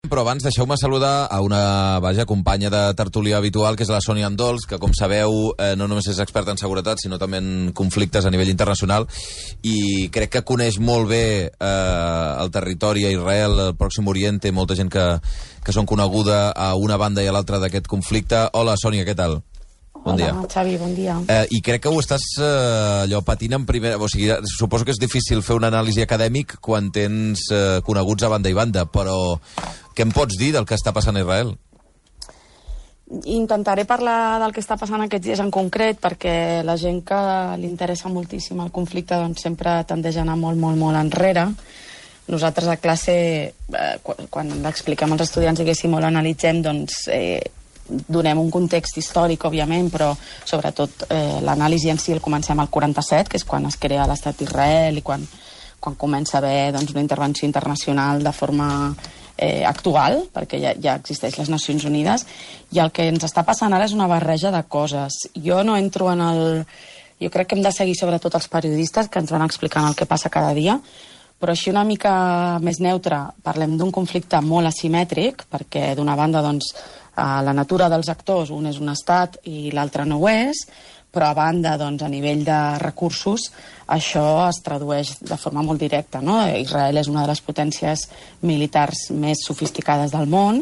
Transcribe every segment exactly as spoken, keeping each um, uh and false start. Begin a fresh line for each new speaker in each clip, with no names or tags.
Però abans deixeu-me saludar a una vaja companya de tertúlia habitual, que és la Sònia Andols, que, com sabeu, eh, no només és experta en seguretat, sinó també en conflictes a nivell internacional, i crec que coneix molt bé eh, el territori a Israel, el Pròxim Orient, molta gent que, que són coneguda a una banda i a l'altra d'aquest conflicte. Hola, Sònia, què tal? Bon
Hola,
dia.
Xavi, bon dia.
Eh, I crec que ho estàs eh, allò patint en primera... O sigui, suposo que és difícil fer una anàlisi acadèmic quan tens eh, coneguts a banda i banda, però què em pots dir del que està passant a Israel?
Intentaré parlar del que està passant aquests dies en concret, perquè la gent que li interessa moltíssim el conflicte doncs, sempre tendeix a anar molt, molt, molt enrere. Nosaltres a classe, eh, quan, quan l'expliquem als estudiants, diguéssim, o l'analitzem, doncs... Eh, donem un context històric, òbviament, però sobretot eh, l'anàlisi en si el comencem al quaranta-set, que és quan es crea l'estat d'Israel i quan, quan comença a haver doncs, una intervenció internacional de forma eh, actual, perquè ja, ja existeix les Nacions Unides, i el que ens està passant ara és una barreja de coses. Jo no entro en el... Jo crec que hem de seguir sobretot els periodistes que ens van explicant el que passa cada dia, però així una mica més neutre parlem d'un conflicte molt asimètric, perquè d'una banda, doncs, la natura dels actors, un és un estat i l'altre no ho és, però a banda, doncs, a nivell de recursos, això es tradueix de forma molt directa, no? Israel és una de les potències militars més sofisticades del món,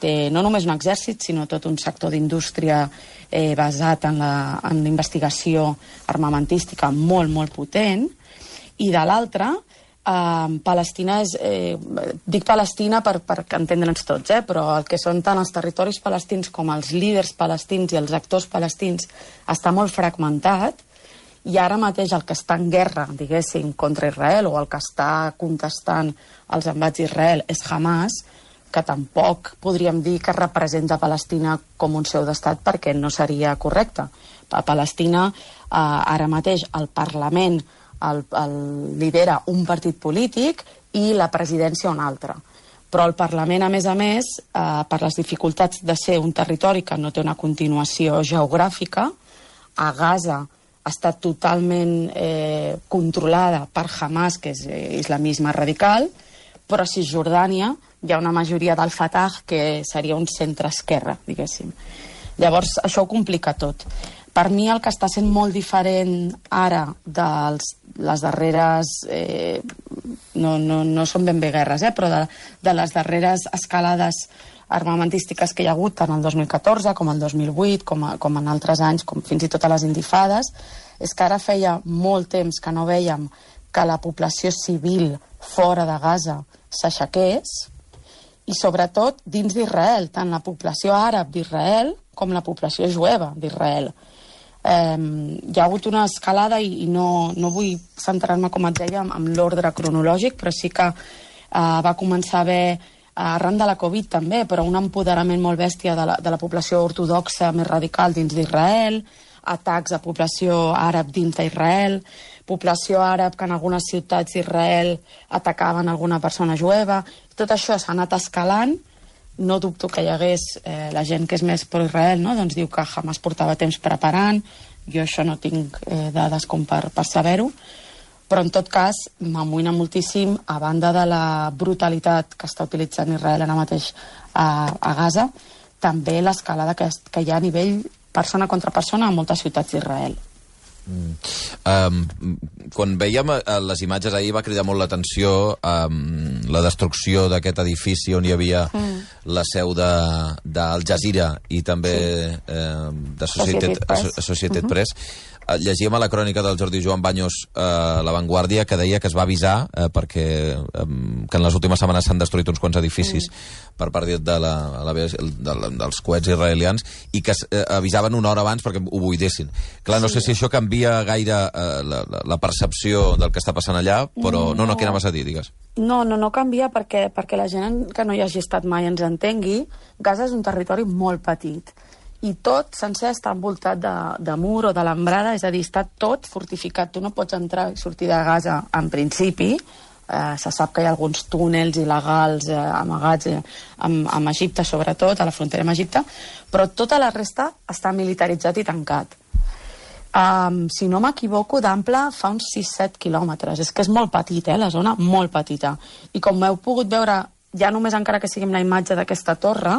té no només un exèrcit, sinó tot un sector d'indústria eh, basat en la, en la investigació armamentística molt, molt potent, i de l'altra, Uh, Palestina és... Eh, dic Palestina per, per entendre'ns tots, eh, però el que són tant els territoris palestins com els líders palestins i els actors palestins està molt fragmentat, i ara mateix el que està en guerra, diguéssim, contra Israel, o el que està contestant els embats d'Israel és Hamas, que tampoc podríem dir que representa Palestina com un seu d'estat, perquè no seria correcte. A Palestina, uh, ara mateix, el Parlament El, el lidera un partit polític i la presidència un altre. Però el Parlament, a més a més, eh, per les dificultats de ser un territori que no té una continuació geogràfica, a Gaza està totalment eh, controlada per Hamas, que és eh, islamisme radical, però a Cisjordània hi ha una majoria del Fatah que seria un centre-esquerra, diguéssim. Llavors, això ho complica tot. Per mi el que està sent molt diferent ara de les darreres... Eh, no, no, no són ben bé guerres, eh, però de, de les darreres escalades armamentístiques que hi ha hagut tant el dos mil catorze com el dos mil vuit, com, a, com en altres anys, com fins i tot a les intifades, és que ara feia molt temps que no vèiem que la població civil fora de Gaza s'aixequés, i sobretot dins d'Israel, tant la població àrab d'Israel com la població jueva d'Israel. Eh, hi ha hagut una escalada i, i no, no vull centrar-me, com et deia, amb l'ordre cronològic, però sí que eh, va començar a haver, arran de la Covid també, però un empoderament molt bèstia de la, de la població ortodoxa més radical dins d'Israel, atacs a població àrab dins d'Israel, població àrab que en algunes ciutats d'Israel atacaven alguna persona jueva. Tot això s'ha anat escalant. No dubto que hi hagués eh, la gent que és més pro-Israel, no? Doncs diu que Hamas portava temps preparant. Jo això no tinc eh, dades com per, per saber-ho, però en tot cas m'amoïna moltíssim, a banda de la brutalitat que està utilitzant Israel ara mateix a, a Gaza, també l'escalada que, que hi ha a nivell persona contra persona a moltes ciutats d'Israel.
Mm. Um, quan veiem uh, les imatges ahir va cridar molt l'atenció um, la destrucció d'aquest edifici on hi havia mm. la seu d'Al Jazeera i també sí. uh, de Associated, Associated, Associated uh-huh. Press. Uh, llegíem a la crònica del Jordi Joan Baños uh, a La Vanguardia, que deia que es va avisar uh, perquè um, que en les últimes setmanes s'han destruït uns quants edificis mm. per part de la, la, de la, dels coets israelians, i que uh, avisaven una hora abans perquè ho buidessin. Clar, no sí. sé si això canvia gaire uh, la, la percepció del que està passant allà, però no, no, què anaves a dir, digues?
No, no, no canvia perquè, perquè la gent que no hi hagi estat mai ens entengui. Gaza és un territori molt petit i tot sencer està envoltat de, de mur o d'alambrada, és a dir, està tot fortificat. Tu no pots entrar i sortir de Gaza en principi. Eh, se sap que hi ha alguns túnels il·legals eh, amagats eh, amb, amb Egipte, sobretot, a la frontera amb Egipte, però tota la resta està militaritzat i tancat. Um, si no m'equivoco, d'ample fa uns sis set quilòmetres. És que és molt petit, eh, la zona, molt petita. I com heu pogut veure ja només encara que sigui amb la imatge d'aquesta torre,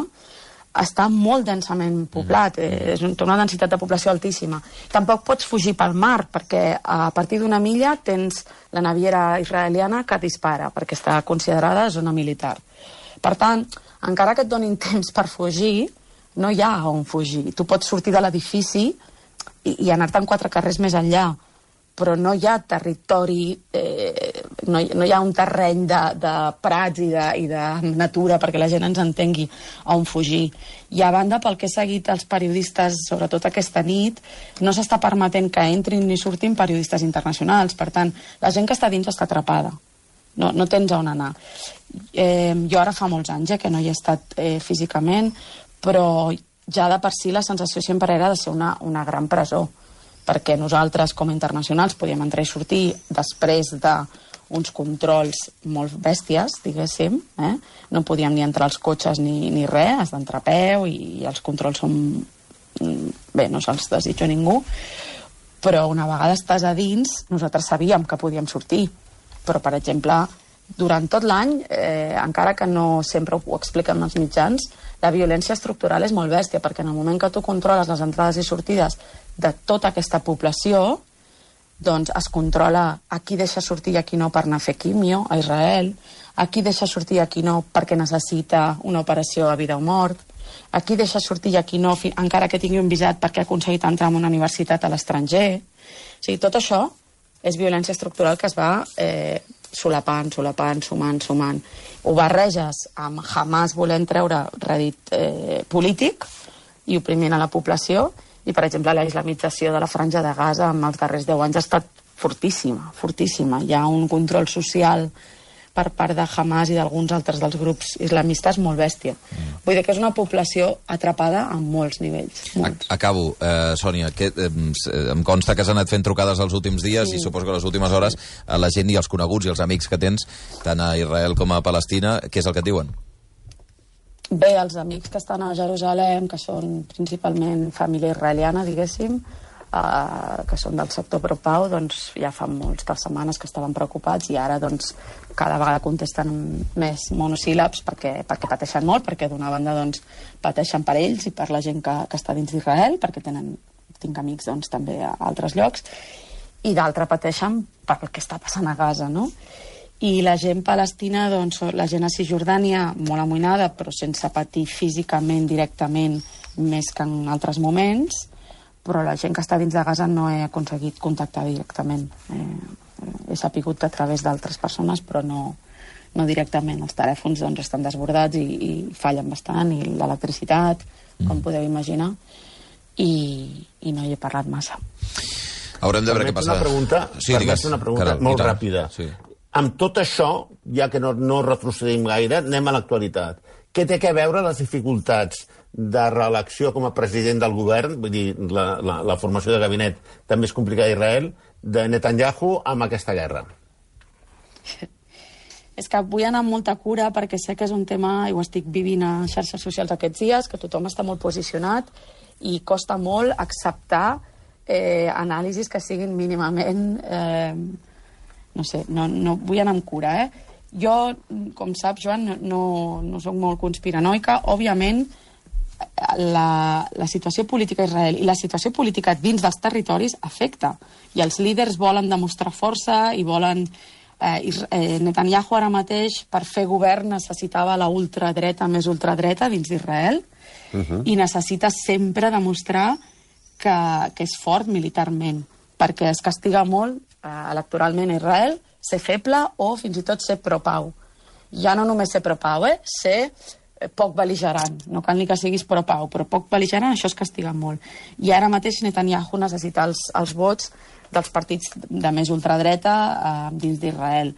està molt densament poblat, eh, és una densitat de població altíssima. Tampoc pots fugir pel mar, perquè a partir d'una milla tens la naviera israeliana que dispara, perquè està considerada zona militar. Per tant, encara que et donin temps per fugir, no hi ha on fugir. Tu pots sortir de l'edifici i, i anar-te'n quatre carrers més enllà, però no hi ha territori, eh, no, hi, no hi ha un terreny de, de prats i de, i de natura perquè la gent ens entengui on fugir. I a banda, pel que he seguit els periodistes, sobretot aquesta nit, no s'està permetent que entrin ni surtin periodistes internacionals. Per tant, la gent que està dins està atrapada. No, no tens on anar. Eh, jo ara fa molts anys eh, que no hi he estat eh, físicament, però ja de per si la sensació sempre era de ser una, una gran presó, perquè nosaltres, com a internacionals, podíem entrar i sortir després d'uns controls molt bèsties, diguéssim. Eh? No podíem ni entrar als cotxes ni, ni res, has d'entrar a peu i, i els controls són... Bé, no se'ls desitjo a ningú, però una vegada estàs a dins, nosaltres sabíem que podíem sortir. Però, per exemple, durant tot l'any, eh, encara que no sempre ho expliquen els mitjans, la violència estructural és molt bèstia, perquè en el moment que tu controles les entrades i sortides de tota aquesta població, doncs es controla a qui deixa sortir i a qui no per anar a fer quimio a Israel, a qui deixa sortir i a qui no perquè necessita una operació a vida o mort, a qui deixa sortir i a qui no, encara que tingui un visat perquè ha aconseguit entrar en una universitat a l'estranger. O sigui, tot això és violència estructural que es va eh, solapant, solapant, sumant, sumant. Ho barreges amb Hamas volent treure rèdit eh, polític i oprimint a la població, i, per exemple, la islamització de la Franja de Gaza en els darrers deu anys ha estat fortíssima, fortíssima. Hi ha un control social per part de Hamas i d'alguns altres dels grups islamistes molt bèstia. Mm. Vull dir que és una població atrapada en molts nivells. Molts.
Acabo, eh, Sònia, que, eh, em consta que has anat fent trucades els últims dies sí. i suposo que les últimes hores a la gent i els coneguts i els amics que tens, tant a Israel com a Palestina, què és el que et diuen?
Bé, els amics que estan a Jerusalem, que són principalment família israeliana, diguéssim, eh, que són del sector pro-pau, doncs ja fa moltes setmanes que estaven preocupats i ara doncs cada vegada contesten més monosíl·labs perquè, perquè pateixen molt, perquè d'una banda doncs, pateixen per ells i per la gent que, que està dins d'Israel, perquè tenen, tinc amics doncs, també a altres llocs, i d'altra pateixen per el que està passant a Gaza, no? I la gent palestina, doncs, la gent a Cisjordània, molt amoïnada, però sense patir físicament, directament, més que en altres moments, però la gent que està dins de Gaza no he aconseguit contactar directament. Eh, he sapigut a través d'altres persones, però no, no directament. Els telèfons doncs, estan desbordats i, i fallen bastant, i l'electricitat, mm. com podeu imaginar, i, i no hi he parlat massa.
Haurem de veure què passa.
Una pregunta,
sí, digues,
una pregunta Caral, molt ràpida. Sí. Amb tot això, ja que no, no retrocedim gaire, anem a l'actualitat. Què té a veure les dificultats de reelecció com a president del govern, vull dir, la, la, la formació de gabinet també és complicada a Israel, de Netanyahu amb aquesta guerra?
És que vull anar amb molta cura perquè sé que és un tema, i ho estic vivint a xarxes socials aquests dies, que tothom està molt posicionat i costa molt acceptar eh, anàlisis que siguin mínimament... Eh, no sé, no, no vull anar amb cura, eh? Jo, com saps, Joan, no, no, no soc molt conspiranoica. Òbviament, la, la situació política a Israel i la situació política dins dels territoris afecta. I els líders volen demostrar força i volen... Eh, eh, Netanyahu ara mateix, per fer govern, necessitava la ultradreta més ultradreta dins d'Israel uh-huh. i necessita sempre demostrar que, que és fort militarment, perquè es castiga molt electoralment a Israel, ser feble o fins i tot ser pro-pau. Ja no només ser pro-pau, eh? Ser poc bel·ligerant. No cal ni que siguis pro-pau, però poc bel·ligerant, això es castiga molt. I ara mateix Netanyahu necessita els, els vots dels partits de més ultradreta eh, dins d'Israel.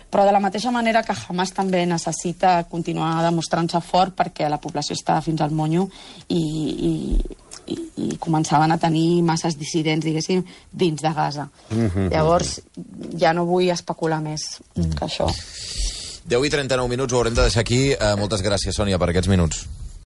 Però de la mateixa manera que Hamas també necessita continuar demostrant-se fort perquè la població està fins al monyo i... i I, i començaven a tenir masses dissidents, diguéssim, dins de Gaza. Mm-hmm. Llavors, ja no vull especular més mm. que això.
deu i trenta-nou minuts, ho haurem de deixar aquí. Uh, moltes gràcies, Sònia, per aquests minuts.